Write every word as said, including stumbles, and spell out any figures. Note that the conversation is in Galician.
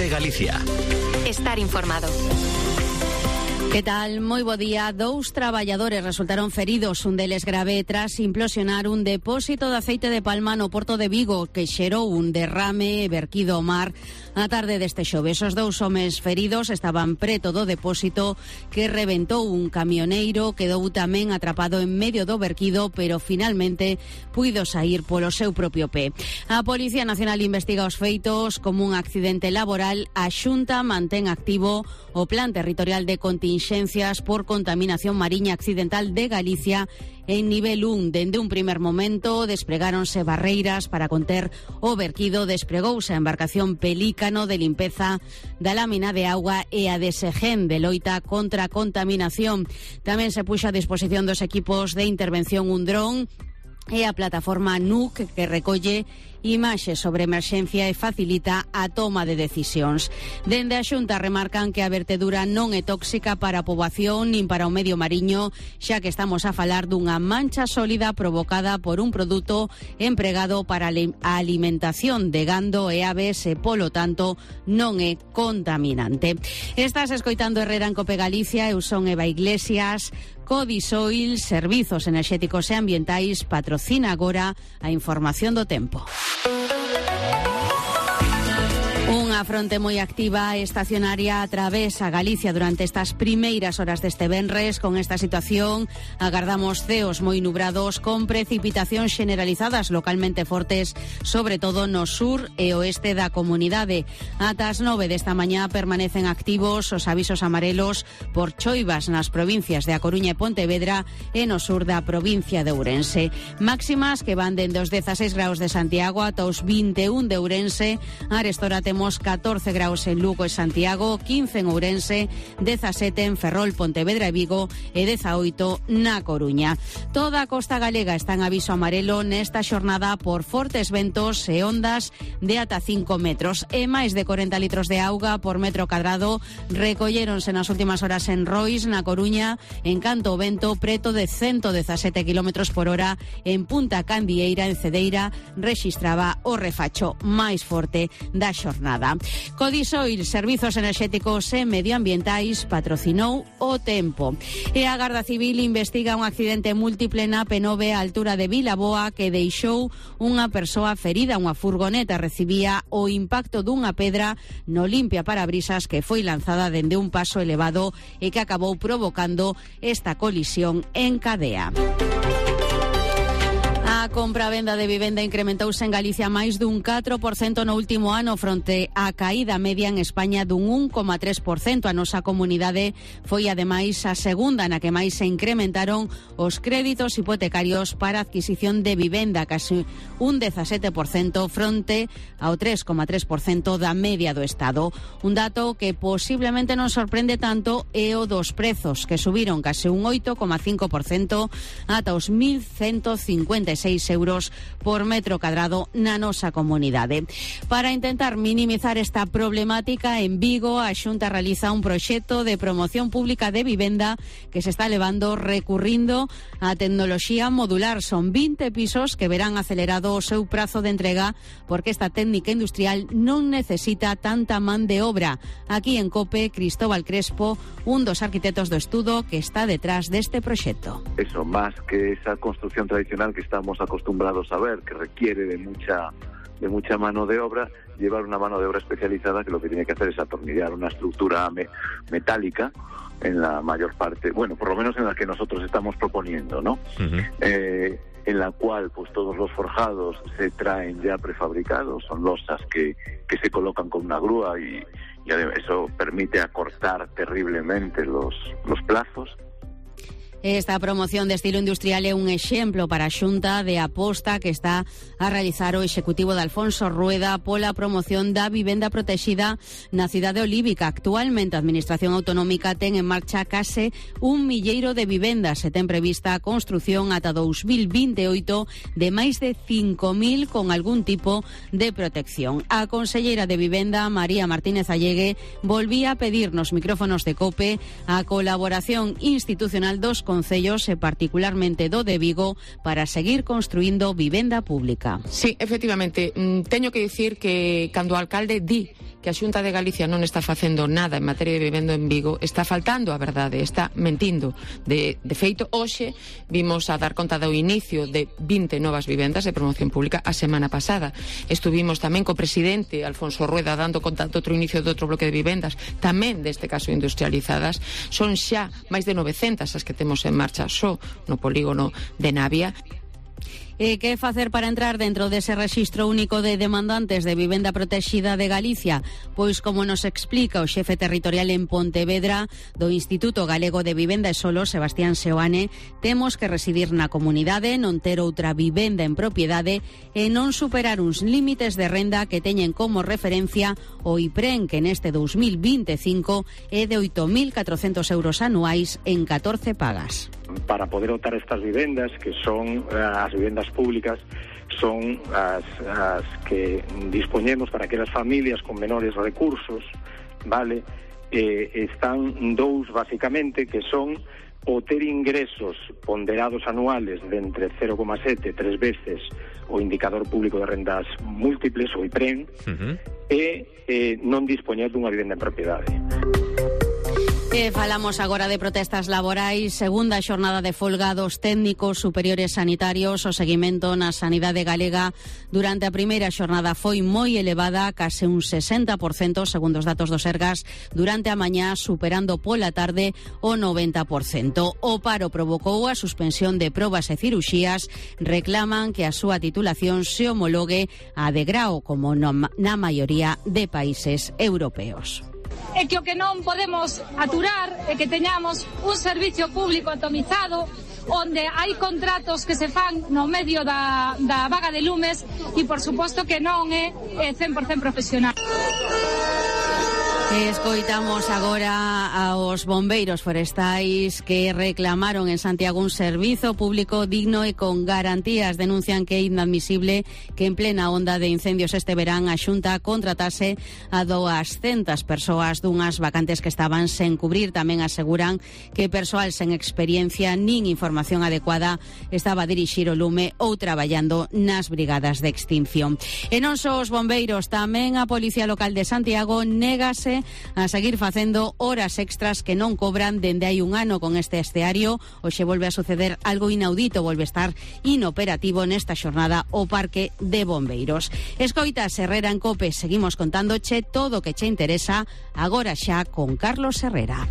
COPE Galicia. Estar informado. Que tal? Moi bo día. Dous traballadores resultaron feridos, un deles grave, tras implosionar un depósito de aceite de palma no porto de Vigo, que xerou un derrame verquido ao mar a tarde deste xoves. Os dous homes feridos estaban preto do depósito que reventou un camioneiro, quedou tamén atrapado en medio do verquido, pero finalmente puido sair polo seu propio pé. A Policía Nacional investiga os feitos como un accidente laboral. A Xunta mantén activo o Plan Territorial de Contingencias por Contaminación Mariña Accidental de Galicia en nivel un. Dende un primer momento despregáronse barreiras para conter o verquido, despregouse a embarcación Pelícano de limpeza da lámina de auga e a de Segen de loita contra a contaminación. Tamén se puxo a disposición dos equipos de intervención un dron e a plataforma N U C, que recolle imaxes sobre emerxencia e facilita a toma de decisións. Dende a Xunta remarcan que a vertedura non é tóxica para a poboación nin para o medio mariño, xa que estamos a falar dunha mancha sólida provocada por un produto empregado para a alimentación de gando e aves e, polo tanto, non é contaminante. Estás escoitando Herrera en COPE Galicia. Eu son Eva Iglesias. Codisoil, Servizos Enerxéticos e Ambientais, patrocina agora a información do tempo. Unha fronte moi activa e estacionaria atravesa Galicia durante estas primeiras horas deste venres. Con esta situación agardamos ceos moi nubrados con precipitacións generalizadas localmente fortes, sobre todo no sur e oeste da comunidade. Ata as nove desta mañá permanecen activos os avisos amarelos por choivas nas provincias de A Coruña e Pontevedra e no sur da provincia de Ourense. Máximas que van dende os dezaseis graus de Santiago ata os vinte e un de Ourense. Arestora temos catorce graus en Lugo e Santiago, quince en Ourense, dezasete en Ferrol, Pontevedra e Vigo e dezaoito na Coruña. Toda a costa galega está en aviso amarelo nesta xornada por fortes ventos e ondas de ata cinco metros e máis de corenta litros de auga por metro cadrado recolléronse nas últimas horas en Rois, na Coruña, en canto o vento preto de ciento dezasete kilómetros por hora. En Punta Candieira, en Cedeira, rexistraba o refacho máis forte da xornada. Codisoil, Servizos Enerxéticos e Medioambientais, patrocinou o tempo. E a Garda Civil investiga un accidente múltiple na P nove á altura de Vilaboa que deixou unha persoa ferida. Unha furgoneta recibía o impacto dunha pedra no limpia parabrisas que foi lanzada dende un paso elevado e que acabou provocando esta colisión en cadea. A compra-venda de vivenda incrementouse en Galicia máis dun catro por cento no último ano fronte á caída media en España dun un coma tres por cento. A nosa comunidade foi ademais a segunda na que máis se incrementaron os créditos hipotecarios para adquisición de vivenda, casi un dezasete por cento fronte ao tres coma tres por cento da media do Estado. Un dato que posiblemente non sorprende tanto é o dos prezos, que subiron case un oito coma cinco por cento ata os mil ciento cincuenta e seis euros por metro cadrado na nosa comunidade. Para intentar minimizar esta problemática, en Vigo a Xunta realiza un proxecto de promoción pública de vivenda que se está levando recurrindo a tecnoloxía modular. Son vinte pisos que verán acelerado o seu prazo de entrega porque esta técnica industrial non necesita tanta man de obra. Aquí en COPE, Cristóbal Crespo, un dos arquitectos do estudo que está detrás deste proxecto. Eso, más que esa construcción tradicional que estamos acostumbrados a ver, que requiere de mucha de mucha mano de obra, llevar una mano de obra especializada que lo que tiene que hacer es atornillar una estructura me, metálica en la mayor parte, bueno, por lo menos en la que nosotros estamos proponiendo, ¿no? Uh-huh. Eh, en la cual pues todos los forjados se traen ya prefabricados, son losas que, que se colocan con una grúa y, y eso permite acortar terriblemente los, los plazos. Esta promoción de estilo industrial é un exemplo para a Xunta de aposta que está a realizar o Executivo de Alfonso Rueda pola promoción da vivenda protexida na cidade olívica. Actualmente a Administración Autonómica ten en marcha case un milleiro de vivendas e ten prevista a construción ata dous mil vinte e oito de máis de cinco mil con algún tipo de protección. A conselleira de Vivenda, María Martínez Allegue, volvía a pedir nos micrófonos de COPE a colaboración institucional dos concellos concellos e particularmente do de Vigo para seguir construindo vivenda pública. Sí, efectivamente, teño que dicir que cando o alcalde di que a Xunta de Galicia non está facendo nada en materia de vivenda en Vigo, está faltando a verdade, está mentindo. De, de feito, hoxe vimos a dar conta do inicio de vinte novas vivendas de promoción pública a semana pasada. Estuvimos tamén co presidente Alfonso Rueda dando conta do outro inicio de outro bloque de vivendas, tamén deste caso industrializadas. Son xa máis de novecentas as que temos en marcha só no polígono de Navia. E que facer para entrar dentro dese rexistro único de demandantes de vivenda protexida de Galicia? Pois, como nos explica o xefe territorial en Pontevedra do Instituto Galego de Vivenda e Solo, Sebastián Seoane, temos que residir na comunidade, non ter outra vivenda en propiedade e non superar uns límites de renda que teñen como referencia o IPREN, que neste dous mil vinte e cinco é de oito mil catrocentos euros anuais en catorce pagas. Para poder optar estas vivendas, que son as vivendas públicas, son as, as que dispoñemos para aquelas familias con menores recursos, vale? Eh, están dous, basicamente, que son o ter ingresos ponderados anuales de entre cero coma sete e tres veces o indicador público de rendas múltiples, o IPREN, uh-huh. e eh, non dispoñer dunha vivenda en propiedade. E falamos agora de protestas laborais, segunda xornada de folga dos técnicos superiores sanitarios. O seguimento na sanidade galega durante a primeira xornada foi moi elevada, case un sesenta por cento, segundo os datos do Sergas, durante a mañá, superando pola tarde o noventa por cento. O paro provocou a suspensión de probas e ciruxías, reclaman que a súa titulación se homologue a de grao, como na maioría de países europeos. É que o que non podemos aturar é que teñamos un servicio público atomizado onde hai contratos que se fan no medio da, da vaga de lumes e, por suposto, que non é cen por cento profesional. Escoitamos agora aos bombeiros forestais que reclamaron en Santiago un servizo público digno e con garantías. Denuncian que é inadmisible que en plena onda de incendios este verán a Xunta contratase a duascentas persoas dunhas vacantes que estaban sen cubrir. Tamén aseguran que persoal sen experiencia nin información adecuada estaba a dirixir o lume ou traballando nas brigadas de extinción. E non só os bombeiros, tamén a Policía Local de Santiago négase a seguir facendo horas extras que non cobran dende hai un ano con este esteario. Hoxe volve a suceder algo inaudito, volve a estar inoperativo nesta xornada o Parque de Bombeiros. Escoita Herrera en COPE, seguimos contándoche todo o que che interesa agora xa con Carlos Herrera.